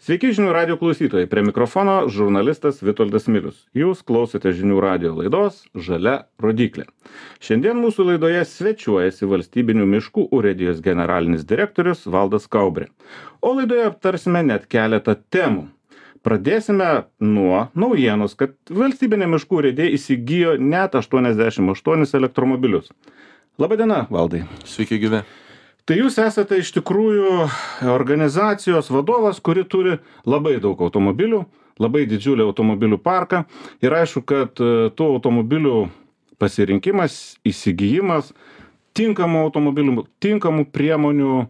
Sveiki žinių radio klausytojai, prie mikrofono žurnalistas Vitoldas Milius. Jūs klausote žinių radio laidos Žalia rodyklė. Šiandien mūsų laidoje svečiuojasi Valstybinių miškų urėdijos generalinis direktorius Valdas Kaubrė. O laidoje aptarsime net keletą temų. Pradėsime nuo naujienos, kad Valstybinė miškų urėdija įsigijo net 88 elektromobilius. Labadiena, Valdai. Sveiki gyvi. Tai jūs esate iš tikrųjų organizacijos vadovas, kuri turi labai daug automobilių, labai didžiulį automobilių parką. Ir aišku, kad tų automobilių pasirinkimas, įsigijimas, tinkamų automobilių, tinkamų priemonių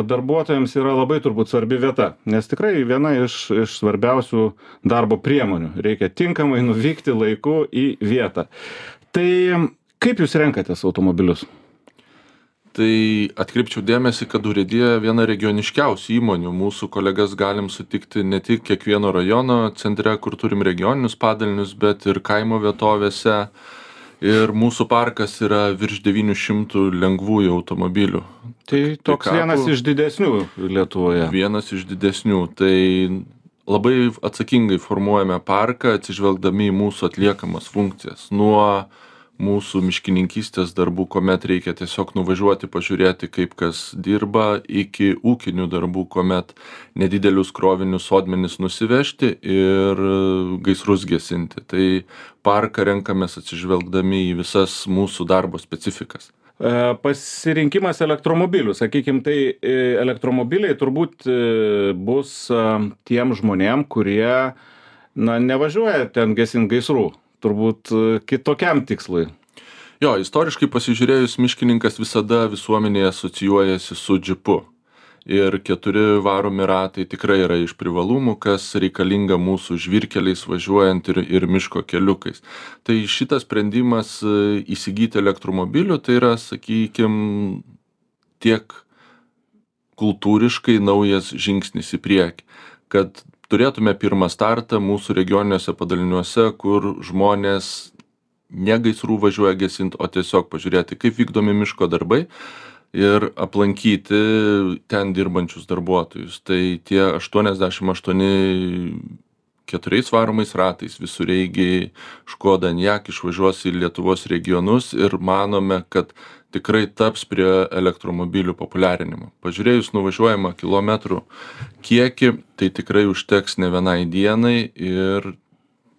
darbuotojams yra labai turbūt svarbi vieta. Nes tikrai viena iš svarbiausių darbo priemonių. Reikia tinkamai nuvykti laiku į vietą. Tai kaip jūs renkatės automobilius? Tai atkreipčiau dėmesį, kad urėdija viena regioniškiausių įmonių. Mūsų kolegas galim sutikti ne tik kiekvieno rajono centre, kur turim regioninius padalinius, bet ir kaimo vietovėse. Ir mūsų parkas yra virš 900 lengvųjų automobilių. Tai toks vienas iš didesnių Lietuvoje. Vienas iš didesnių. Tai labai atsakingai formuojame parką, atsižvelgdami į mūsų atliekamas funkcijas. Nuo mūsų miškininkystės darbų, kuomet reikia tiesiog nuvažiuoti, pažiūrėti, kaip kas dirba, iki ūkinių darbų, kuomet nedidelius krovinius sodmenis nusivežti ir gaisrus gesinti. Tai parką renkamės atsižvelgdami į visas mūsų darbo specifikas. Pasirinkimas elektromobilių, sakykime, tai elektromobiliai turbūt bus tiem žmonėm, kurie nevažiuoja ten gesint gaisrų. Turbūt kitokiam tikslui. Jo, istoriškai pasižiūrėjus, miškininkas visada visuomenėje asocijuojasi su džipu. Ir 4 varomi ratai tikrai yra iš privalumų, kas reikalinga mūsų žvyrkeliais važiuojant ir miško keliukais. Tai šitas sprendimas įsigyti elektromobilių, tai yra, sakykime, tiek kultūriškai naujas žingsnis į priekį, kad turėtume pirmą startą mūsų regioniniuose padaliniuose, kur žmonės ne gaisrų važiuoja gesint, o tiesiog pažiūrėti, kaip vykdomi miško darbai ir aplankyti ten dirbančius darbuotojus. Tai tie 88 4 varomais ratais visureigiai Škoda Enyaq išvažiuos į Lietuvos regionus ir manome, kad tikrai taps prie elektromobilių populiarinimo. Pažiūrėjus nuvažiuojamą kilometrų kiekį, tai tikrai užteks ne vienai dienai ir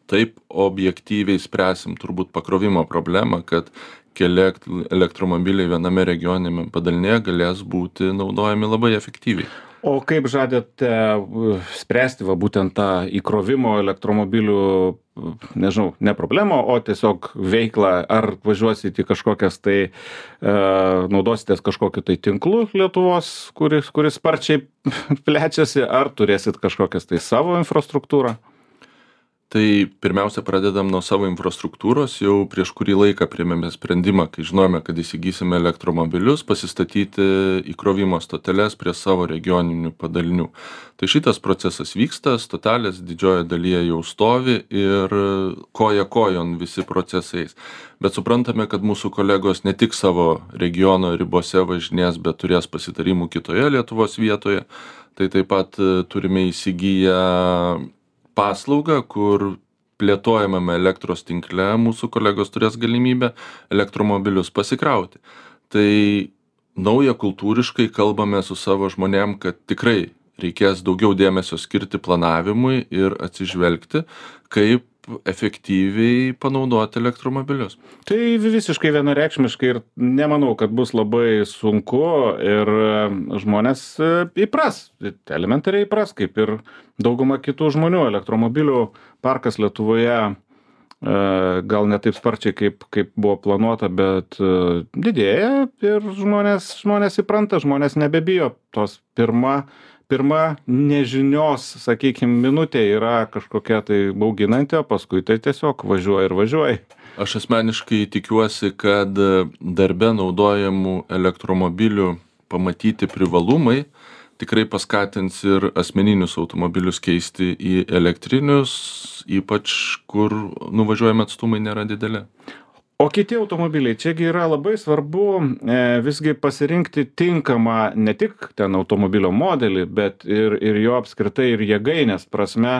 taip objektyviai spręsim turbūt pakrovimo problemą, kad keli elektromobiliai viename regioniniame padalinėje galės būti naudojami labai efektyviai. O kaip žadate spręsti būtent tą įkrovimo elektromobilių, nežinau, ne problemą, o tiesiog veiklą, ar važiuosit į kažkokias tai, naudositės kažkokiu tai tinklu Lietuvos, kuris sparčiai plečiasi, ar turėsit kažkokias tai savo infrastruktūrą? Tai pirmiausia pradedam nuo savo infrastruktūros. Jau prieš kurį laiką priėmėme sprendimą, kai žinome, kad įsigysime elektromobilius, pasistatyti įkrovimo stoteles prie savo regioninių padalinių. Tai šitas procesas vyksta, stotelės didžioje dalyje jau stovi ir koja kojon visi procesais. Bet suprantame, kad mūsų kolegos ne tik savo regiono ribose važinės, bet turės pasitarimų kitoje Lietuvos vietoje. Tai taip pat turime įsigiję paslaugą, kur plėtojamame elektros tinkle mūsų kolegos turės galimybę elektromobilius pasikrauti. Tai nauja kultūriškai kalbame su savo žmonėm, kad tikrai reikės daugiau dėmesio skirti planavimui ir atsižvelgti, kaip efektyviai panaudoti elektromobilius. Tai visiškai vienareikšmiškai ir nemanau, kad bus labai sunku ir žmonės įpras, elementariai įpras, kaip ir dauguma kitų žmonių. Elektromobilių parkas Lietuvoje gal ne taip sparčiai, kaip buvo planuota, bet didėja ir žmonės įpranta, žmonės nebebijo. Tos pirma nežinios, sakykime, minutė yra kažkokia tai bauginanti, o paskui tai tiesiog važiuoja ir važiuoja. Aš asmeniškai tikiuosi, kad darbe naudojamų elektromobilių pamatyti privalumai tikrai paskatins ir asmeninius automobilius keisti į elektrinius, ypač kur nuvažiuojami atstumai nėra dideli. O kiti automobiliai, čiagi yra labai svarbu visgi pasirinkti tinkamą ne tik ten automobilio modelį, bet ir jo apskritai ir jėgainės prasme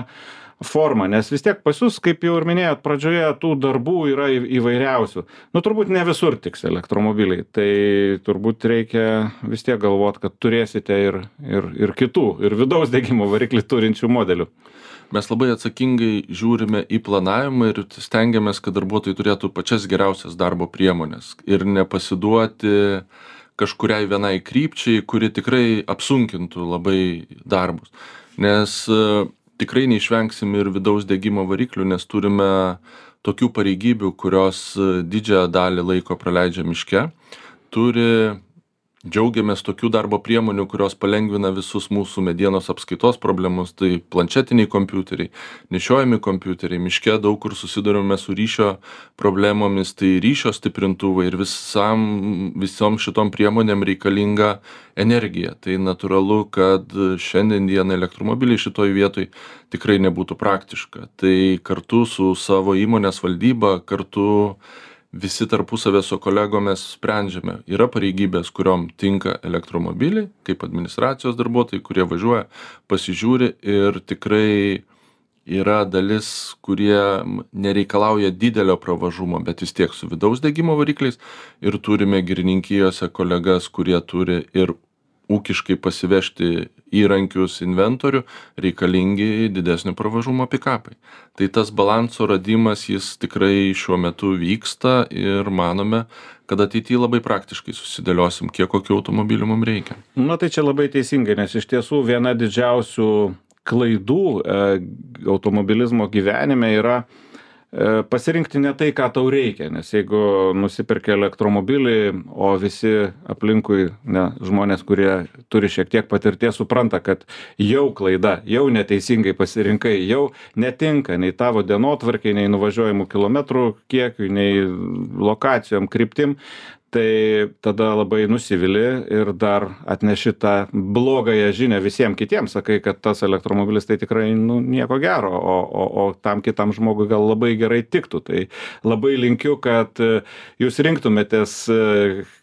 formą, nes vis tiek pas jūs, kaip jau ir minėjot pradžioje, tų darbų yra įvairiausių. Nu, turbūt ne visur tiks elektromobiliai, tai turbūt reikia vis tiek galvot, kad turėsite ir kitų, ir vidaus degimo variklį turinčių modelių. Mes labai atsakingai žiūrime į planavimą ir stengiamės, kad darbuotojai turėtų pačias geriausias darbo priemonės ir nepasiduoti kažkuriai vienai krypčiai, kuri tikrai apsunkintų labai darbus. Nes tikrai neišvengsim ir vidaus degimo variklių, nes turime tokių pareigybių, kurios didžiąją dalį laiko praleidžia miške. Džiaugiamės tokių darbo priemonių, kurios palengvina visus mūsų medienos apskaitos problemus, tai planšetiniai kompiuteriai, nešiojami kompiuteriai, miške daug kur susidurime su ryšio problemomis, tai ryšio stiprintuvai ir visom šitom priemonėm reikalinga energija. Tai natūralu, kad šiandien dieną elektromobiliai šitoj vietoj tikrai nebūtų praktiška. Tai kartu su savo įmonės valdyba, kartu visi tarpusavę su kolegomis sprendžiame. Yra pareigybės, kuriom tinka elektromobiliai, kaip administracijos darbuotojai, kurie važiuoja, pasižiūri ir tikrai yra dalis, kurie nereikalauja didelio pravažumo, bet vis tiek su vidaus degimo varikliais ir turime girininkijose kolegas, kurie turi ir ūkiškai pasivežti įrankius, inventorių, reikalingi didesnio pravažumo pikapai. Tai tas balanso radimas, jis tikrai šiuo metu vyksta ir manome, kad ateityje labai praktiškai susidėliosim, kiek kokių automobilių mums reikia. Na tai čia labai teisingai, nes iš tiesų viena didžiausių klaidų automobilizmo gyvenime yra pasirinkti ne tai, ką tau reikia, nes jeigu nusiperki elektromobilį, o visi aplinkui žmonės, kurie turi šiek tiek patirties, supranta, kad jau klaida, jau neteisingai pasirinkai, jau netinka nei tavo dienotvarkiai, nei nuvažiuojamų kilometrų kiekiui, nei lokacijom, kryptim, tai tada labai nusivili ir dar atneši tą blogąją žinią visiems kitiems, sakai, kad tas elektromobilis tai tikrai nieko gero, o tam kitam žmogui gal labai gerai tiktų. Tai labai linkiu, kad jūs rinktumėtės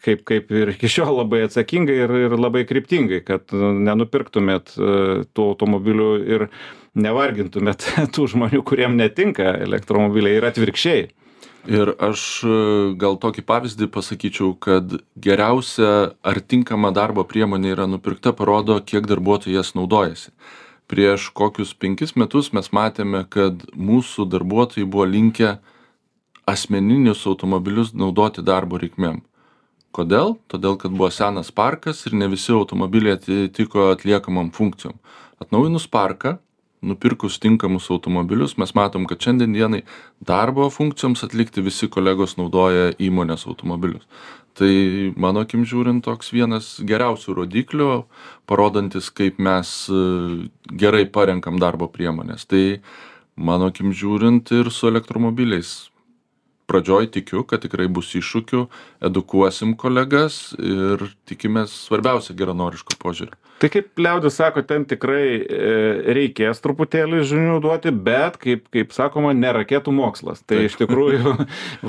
kaip ir iki šiol labai atsakingai ir labai kryptingai, kad nenupirktumėt tų automobilių ir nevargintumėt tų žmonių, kuriem netinka elektromobiliai ir atvirkščiai. Ir aš gal tokį pavyzdį pasakyčiau, kad geriausia ar tinkama darbo priemonė yra nupirkta, parodo, kiek darbuotojai jas naudojasi. Prieš kokius 5 metus mes matėme, kad mūsų darbuotojai buvo linkę asmeninius automobilius naudoti darbo reikmėm. Kodėl? Todėl, kad buvo senas parkas ir ne visi automobiliai atitiko atliekamam funkcijom. Atnaujinus parką, nupirkus tinkamus automobilius, mes matom, kad šiandien dienai darbo funkcijoms atlikti visi kolegos naudoja įmonės automobilius. Tai mano akim žiūrint toks vienas geriausių rodiklių, parodantis, kaip mes gerai parenkam darbo priemonės. Tai mano akim žiūrint ir su elektromobiliais. Pradžioj tikiu, kad tikrai bus iššūkių, edukuosim kolegas ir tikimės svarbiausia geranoriško požiūrio. Tai kaip liaudis sako, ten tikrai reikės truputėlį žinių duoti, bet kaip sakoma, ne raketų mokslas. Tai iš tikrųjų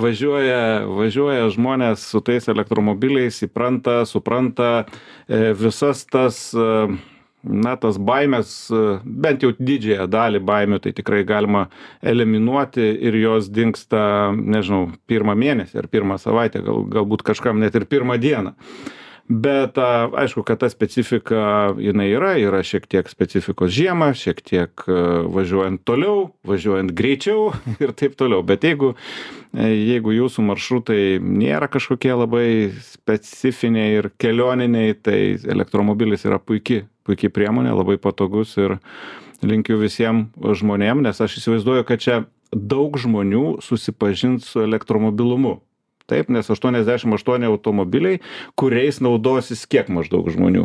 važiuoja žmonės su tais elektromobiliais, supranta visas tas tas baimės, bent jau didžiąją dalį baimių, tai tikrai galima eliminuoti ir jos dingsta, nežinau, 1 mėnesį ar 1 savaitę, galbūt kažkam net ir 1 dieną. Bet aišku, kad ta specifika jinai yra šiek tiek specifikos žiemą, šiek tiek važiuojant toliau, važiuojant greičiau ir taip toliau. Bet jeigu jūsų maršrutai nėra kažkokie labai specifiniai ir kelioniniai, tai elektromobilis yra puikiai priemonė, labai patogus ir linkiu visiems žmonėm, nes aš įsivaizduoju, kad čia daug žmonių susipažins su elektromobilumu. Taip, nes 88 automobiliai, kuriais naudosis kiek maždaug žmonių?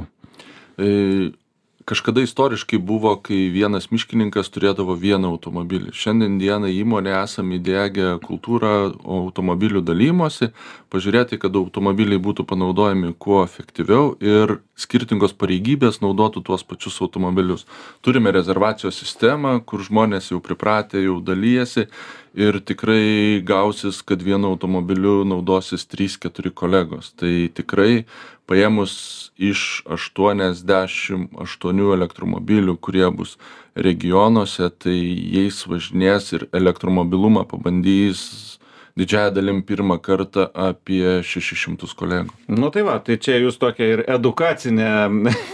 Kažkada istoriškai buvo, kai vienas miškininkas turėdavo 1 automobilį. Šiandien dieną įmonė esame įdiegę kultūrą automobilių dalymosi, pažiūrėti, kad automobiliai būtų panaudojami kuo efektyviau ir skirtingos pareigybės naudotų tuos pačius automobilius. Turime rezervacijos sistemą, kur žmonės jau pripratę, jau dalyjasi ir tikrai gausis, kad vienu automobiliu naudosis 3-4 kolegos. Tai tikrai paėmus iš 88 elektromobilių, kurie bus regionuose, tai jais važinės ir elektromobilumą pabandys didžiąja dalim pirmą kartą apie 600 kolegų. Nu tai va, tai čia jūs tokia ir edukacinė,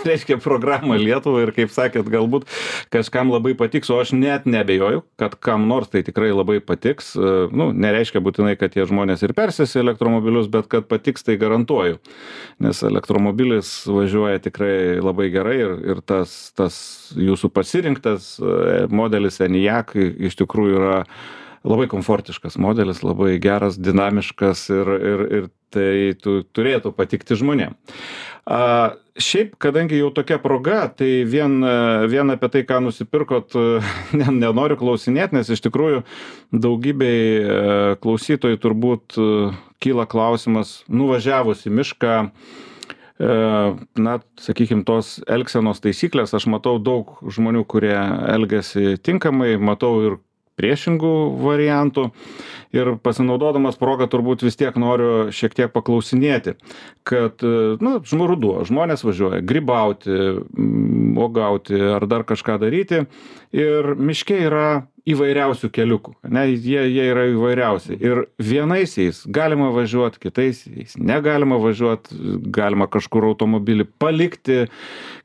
reiškia, programa Lietuvai ir kaip sakėt, galbūt kažkam labai patiks, o aš net nebejoju, kad kam nors tai tikrai labai patiks. Nu, nereiškia būtinai, kad tie žmonės ir persės į elektromobilius, bet kad patiks, tai garantuoju. Nes elektromobilis važiuoja tikrai labai gerai ir tas jūsų pasirinktas modelis Enyaq iš tikrųjų yra labai komfortiškas modelis, labai geras, dinamiškas ir tai turėtų patikti žmonėm. Šiaip, kadangi jau tokia proga, tai vien apie tai, ką nusipirkot, nenoriu klausinėti, nes iš tikrųjų daugybei klausytojų turbūt kyla klausimas, nuvažiavus į mišką, na, sakykime, tos elgsenos taisyklės, aš matau daug žmonių, kurie elgiasi tinkamai, matau ir priešingų variantų ir pasinaudodamas progą turbūt vis tiek noriu šiek tiek paklausinėti, kad, nu, ruduo, žmonės važiuoja grybauti, uogauti ar dar kažką daryti ir miške yra įvairiausių keliukų, ne, jie yra įvairiausi ir vienais jais galima važiuoti, kitais jais negalima važiuoti, galima kažkur automobilį palikti,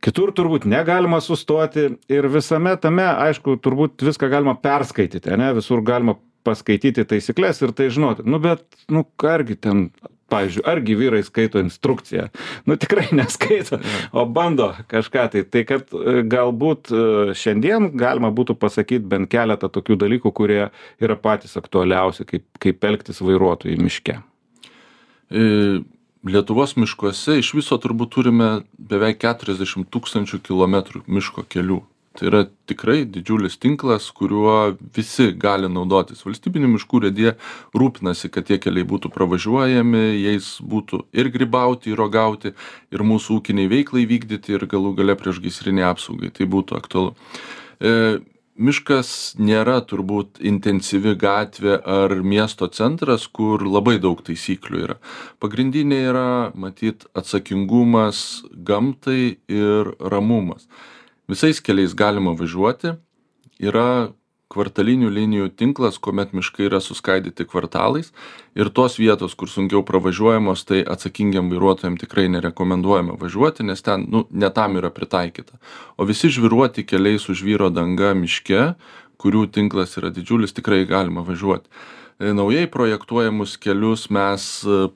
kitur turbūt negalima sustoti ir visame tame, aišku, turbūt viską galima perskaityti, ne, visur galima paskaityti taisyklės ir tai žinoti, nu bet, nu, argi ten, pavyzdžiui, argi vyrai skaito instrukciją, nu tikrai neskaito, o bando kažką tai kad galbūt šiandien galima būtų pasakyti bent keletą tokių dalykų, kurie yra patys aktualiausi, kaip elgtis vairuotojui miške. Lietuvos miškuose iš viso turbūt turime beveik 40 000 kilometrų miško kelių. Tai yra tikrai didžiulis tinklas, kuriuo visi gali naudotis. Valstybinių miškų urėdija rūpinasi, kad tie keliai būtų pravažiuojami, jais būtų ir grybauti, ir uogauti, ir mūsų ūkiniai veiklai vykdyti, ir galų gale priešgaisrinei apsaugai. Tai būtų aktualu. Miškas nėra turbūt intensyvi gatvė ar miesto centras, kur labai daug taisyklių yra. Pagrindinė yra, matyt, atsakingumas gamtai ir ramumas. Visais keliais galima važiuoti, yra kvartalinių linijų tinklas, kuomet miškai yra suskaidyti kvartalais ir tos vietos, kur sunkiau pravažiuojamos, tai atsakingiam vairuotojam tikrai nerekomenduojama važiuoti, nes ten, nu, ne tam yra pritaikyta. O visi žvyruoti keliai su žvyro danga miške, kurių tinklas yra didžiulis, tikrai galima važiuoti. Naujai projektuojamus kelius mes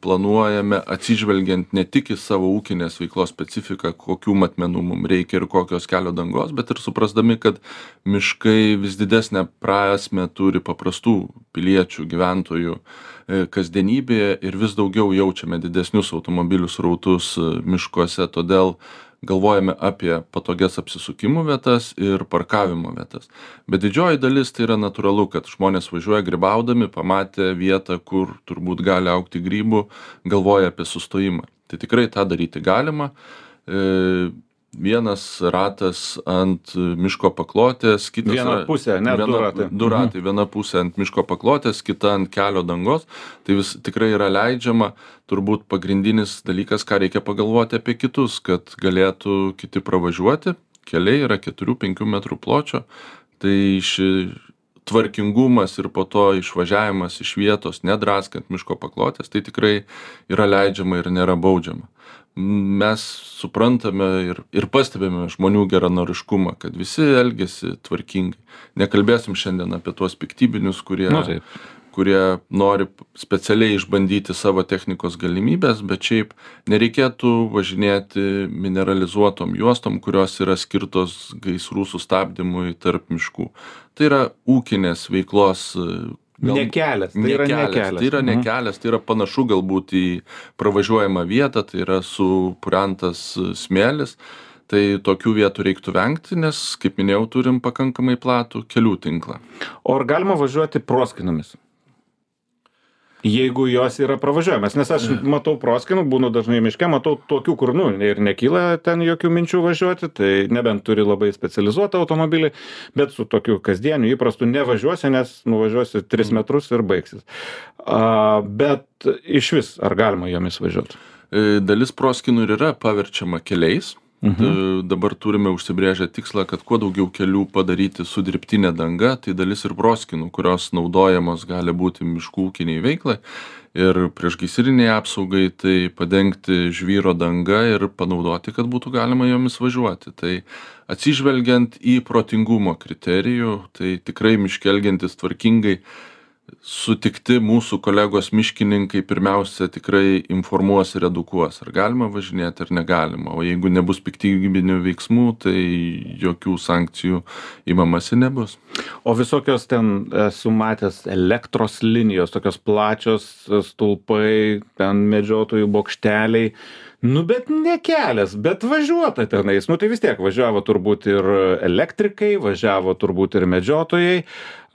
planuojame atsižvelgiant ne tik į savo ūkinės veiklos specifiką, kokių matmenų mums reikia ir kokios kelio dangos, bet ir suprasdami, kad miškai vis didesnę prasmę turi paprastų piliečių, gyventojų kasdienybėje ir vis daugiau jaučiame didesnius automobilių srautus miškuose, todėl galvojame apie patogias apsisukimų vietas ir parkavimo vietas. Bet didžioji dalis tai yra natūralu, kad žmonės važiuoja grybaudami, pamatę vietą, kur turbūt gali augti grybų, galvoja apie sustojimą. Tai tikrai tą daryti galima. Vienas ratas ant miško paklotės, kitas... Viena pusė, ne, du ratai. Viena pusė ant miško paklotės, kita ant kelio dangos. Tai vis tikrai yra leidžiama. Turbūt pagrindinis dalykas, ką reikia pagalvoti apie kitus, kad galėtų kiti pravažiuoti. Keliai yra 4-5 metrų pločio. Tai tvarkingumas ir po to išvažiavimas iš vietos, nedraskant miško paklotės, tai tikrai yra leidžiama ir nėra baudžiama. Mes suprantame ir pastebime žmonių geranoriškumą, kad visi elgiasi tvarkingai. Nekalbėsim šiandien apie tuos piktybinius, kurie nori specialiai išbandyti savo technikos galimybės, bet šiaip nereikėtų važinėti mineralizuotom juostom, kurios yra skirtos gaisrų sustabdymui tarp miškų. Tai yra ūkinės veiklos nekelias, tai yra nekelias. Tai yra nekelias, tai yra panašu galbūt į pravažiuojamą vietą, tai yra supurentas smėlis. Tai tokių vietų reiktų vengti, nes, kaip minėjau, turim pakankamai platų kelių tinklą. O ar galima važiuoti proskynėmis? Jeigu jos yra pravažiuojamas, nes aš matau proskynų, būnu dažnai miške, matau tokių, kur, ir nekyla ten jokių minčių važiuoti, tai nebent turi labai specializuotą automobilį, bet su tokiu kasdieniu įprastu nevažiuosi, nes nuvažiuosi 3 metrus ir baigsis. Bet iš vis, ar galima jomis važiuoti? Dalis proskynų ir yra paverčiama keliais. Dabar turime užsibrėžę tikslą, kad kuo daugiau kelių padaryti su dirbtinė danga, tai dalis ir proskynų, kurios naudojamos gali būti miškų ūkiniai veiklai ir priešgaisriniai apsaugai, tai padengti žvyro danga ir panaudoti, kad būtų galima jomis važiuoti. Tai atsižvelgiant į protingumo kriterijų, tai tikrai miške elgiantis tvarkingai, sutikti mūsų kolegos miškininkai pirmiausia tikrai informuos ir edukuos, ar galima važinėti, ar negalima. O jeigu nebus piktybinių veiksmų, tai jokių sankcijų imamasi nebus. O visokios ten esu matęs elektros linijos, tokios plačios stulpai, ten medžiotojų bokšteliai. Bet ne kelias, bet važiuota tenais. Tai vis tiek važiavo turbūt ir elektrikai, važiavo turbūt ir medžiotojai.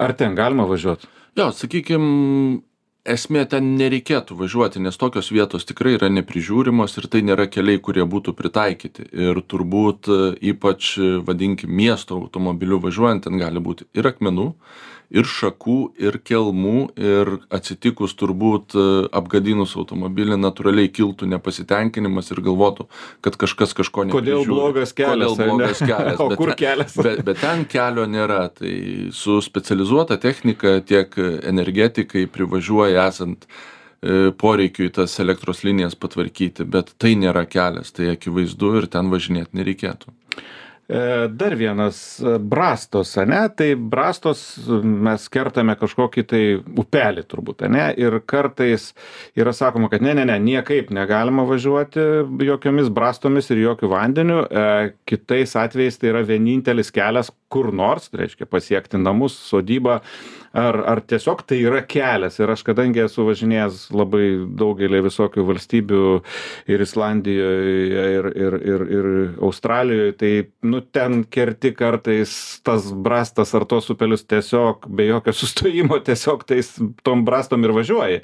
Ar ten galima važiuoti? Jo, sakykime, esmė ten nereikėtų važiuoti, nes tokios vietos tikrai yra neprižiūrimos ir tai nėra keliai, kurie būtų pritaikyti. Ir turbūt ypač, vadinkim, miesto automobiliu važiuojant, ten gali būti ir akmenų, ir šakų, ir kelmų, ir atsitikus turbūt apgadinus automobilį natūraliai kiltų nepasitenkinimas ir galvotų, kad kažkas kažko neprižiūri. Kodėl blogas kelias? Kodėl blogas kelias? O kur kelias? Bet ten kelio nėra. Tai su specializuota technika tiek energetikai privažiuoja esant poreikiui tas elektros linijas patvarkyti, bet tai nėra kelias, tai akivaizdu ir ten važinėti nereikėtų. Dar vienas brastos, ane? Tai brastos mes kertame kažkokį tai upelį turbūt, ane? Ir kartais yra sakoma, kad ne, niekaip negalima važiuoti jokiomis brastomis ir jokių vandeniu. Kitais atvejais tai yra vienintelis kelias kur nors, tai reiškia pasiekti namus, sodybą, ar tiesiog tai yra kelias. Ir aš kadangi esu važinėjęs labai daugelį visokių valstybių ir Islandijoje, ir Australijoje, tai ten kerti kartais tas brastas ar tos upelius tiesiog be jokio sustojimo, tiesiog tom brastom ir važiuoji.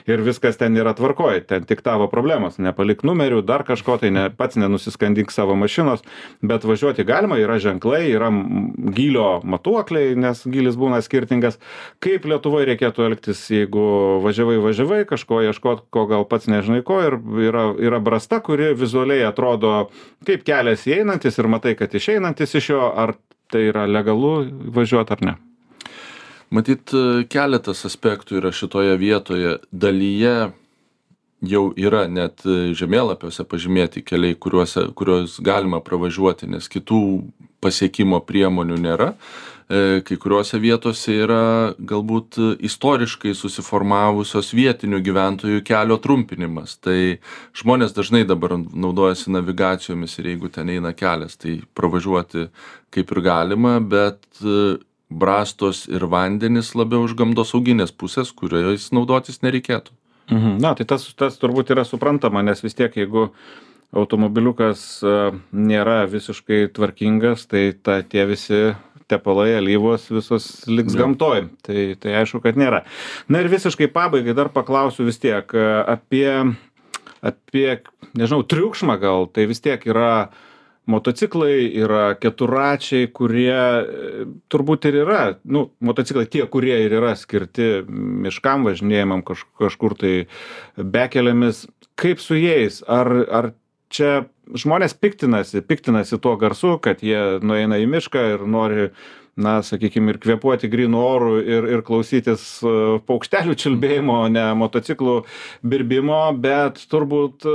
Ir viskas ten yra tvarkoj, ten tik tavo problemos, nepalik numerių, dar kažko, tai pats nenusiskandink savo mašinos, bet važiuoti galima, yra ženklai, yra gylio matuokliai, nes gylis būna skirtingas. Kaip Lietuvoje reikėtų elgtis, jeigu važiavai, kažko ieškot, ko gal pats nežinai ko, ir yra brasta, kuri vizualiai atrodo kaip kelias įeinantis ir matai, kad išeinantis iš jo, ar tai yra legalu važiuoti ar ne? Matyt, keletas aspektų yra šitoje vietoje. Dalyje jau yra net žemėlapiuose pažymėti keliai, kuriuos galima pravažiuoti, nes kitų pasiekimo priemonių nėra. Kai kuriuose vietose yra galbūt istoriškai susiformavusios vietinių gyventojų kelio trumpinimas. Tai žmonės dažnai dabar naudojasi navigacijomis ir jeigu ten eina kelias, tai pravažiuoti kaip ir galima, bet brastos ir vandenis labiau iš gamtosauginės pusės, kuriais naudotis nereikėtų. Tai tas turbūt yra suprantama, nes vis tiek, jeigu automobiliukas nėra visiškai tvarkingas, tai tie visi tepalai, alyvos visos liks gamtoj. Tai aišku, kad nėra. Na ir visiškai pabaigai dar paklausiu vis tiek apie, nežinau, triukšmą gal. Tai vis tiek yra motociklai, yra keturračiai, kurie turbūt ir yra, motociklai tie, kurie ir yra skirti miškam važinėjimam kažkur tai bekelėmis. Kaip su jais? Ar čia žmonės piktinasi tuo garsu, kad jie nueina į mišką ir nori, sakykime, ir kvėpuoti grynų orų ir klausytis paukštelių čiulbėjimo, ne motociklų birbimo, bet turbūt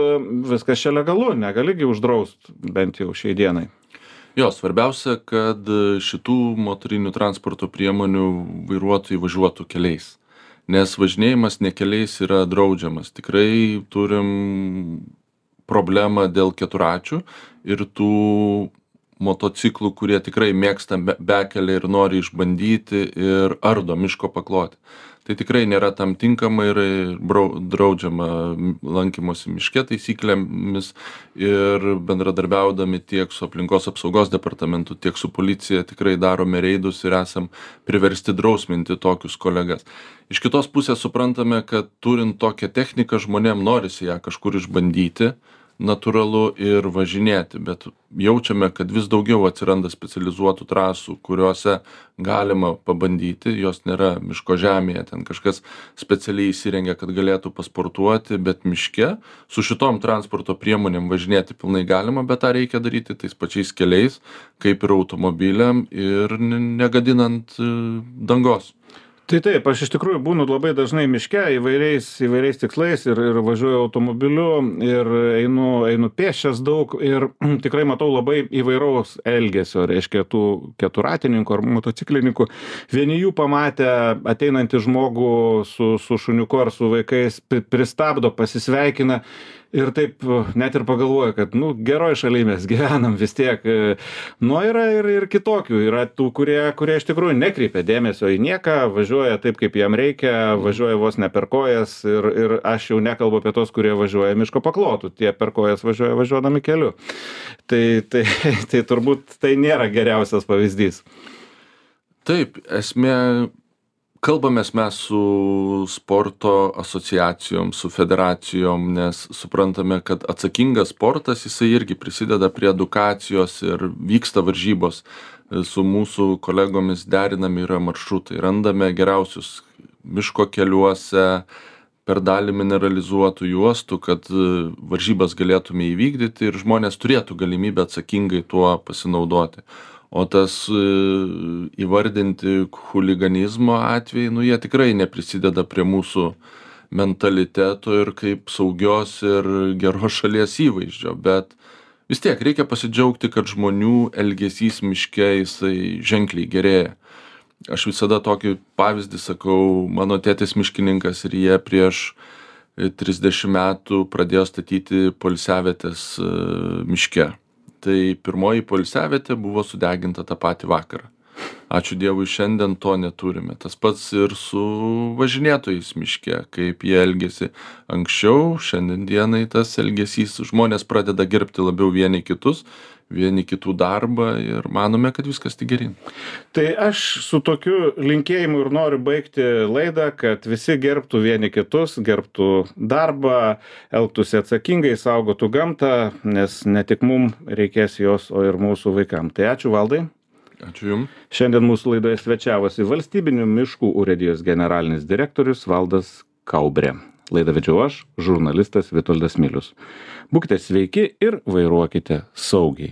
viskas čia legalu, negaligi uždrausti bent jau šiai dienai. Jo, svarbiausia, kad šitų motorinių transporto priemonių vairuotojai važiuotų keliais, nes važinėjimas ne keliais yra draudžiamas. Tikrai turim problemą dėl keturračių ir tų motociklų, kurie tikrai mėgsta bekelį ir nori išbandyti ir ardo miško paklotę. tai tikrai nėra tam tinkama ir draudžiama lankymosi miške taisyklėmis ir bendradarbiaudami tiek su aplinkos apsaugos departamentu, tiek su policija tikrai darome reidus ir esam priversti drausminti tokius kolegas. Iš kitos pusės suprantame, kad turint tokią techniką žmonėm norisi ją kažkur išbandyti, natūralu ir važinėti, bet jaučiame, kad vis daugiau atsiranda specializuotų trasų, kuriuose galima pabandyti, jos nėra miško žemėje, ten kažkas specialiai įsirengia, kad galėtų pasportuoti, bet miške su šitom transporto priemonėm važinėti pilnai galima, bet tą reikia daryti tais pačiais keliais, kaip ir automobiliam ir negadinant dangos. Tai taip, aš iš tikrųjų būnu labai dažnai miške įvairiais tikslais ir važiuoju automobiliu ir einu pėsčias daug ir tikrai matau labai įvairaus elgesio, reiškia tų keturratininkų ar motociklininkų. Vieni jų pamatę ateinantį žmogų su šuniuku ar su vaikais pristabdo, pasisveikina. Ir taip net ir pagalvoju, kad, geroj šaly mes gyvenam vis tiek. Yra ir kitokių. Yra tų, kurie iš tikrųjų nekreipia dėmesio į nieką, važiuoja taip, kaip jam reikia, važiuoja vos ne per kojas ir aš jau nekalbu apie tos, kurie važiuoja miško paklotų. Tie per kojas važiuodami keliu. Tai turbūt tai nėra geriausias pavyzdys. Taip, esmė. Kalbamės mes su sporto asociacijom, su federacijom, nes suprantame, kad atsakingas sportas, jisai irgi prisideda prie edukacijos ir vyksta varžybos. Su mūsų kolegomis derinami yra maršrutai, randame geriausius miško keliuose, per dalį mineralizuotų juostų, kad varžybas galėtume įvykdyti ir žmonės turėtų galimybę atsakingai tuo pasinaudoti. O tas įvardinti chuliganizmo atvejai, jie tikrai neprisideda prie mūsų mentaliteto ir kaip saugios ir geros šalies įvaizdžio, bet vis tiek reikia pasidžiaugti, kad žmonių elgesys miške jisai ženkliai gerėja. Aš visada tokį pavyzdį sakau, mano tėtis miškininkas ir jie prieš 30 metų pradėjo statyti poilsiavietes miške. Tai pirmoji poilsiavietė buvo sudeginta tą patį vakarą. Ačiū Dievui, šiandien to neturime. Tas pats ir su važinėtojais miške, kaip jie elgėsi anksčiau, šiandien dienai tas elgesys, žmonės pradeda gerbti labiau vieni kitus, vieni kitų darbą ir manome, kad viskas tik geryn. Tai aš su tokiu linkėjimu ir noriu baigti laidą, kad visi gerbtų vieni kitus, gerbtų darbą, elgtųsi atsakingai, saugotų gamtą, nes ne tik mums reikės jos, o ir mūsų vaikams. Tai ačiū, Valdai. Ačiū Jums. Šiandien mūsų laidoje svečiavosi Valstybinių miškų urėdijos generalinis direktorius Valdas Kaubrė. Laidą vedžiau aš, žurnalistas Vitoldas Milius. Būkite sveiki ir vairuokite saugiai.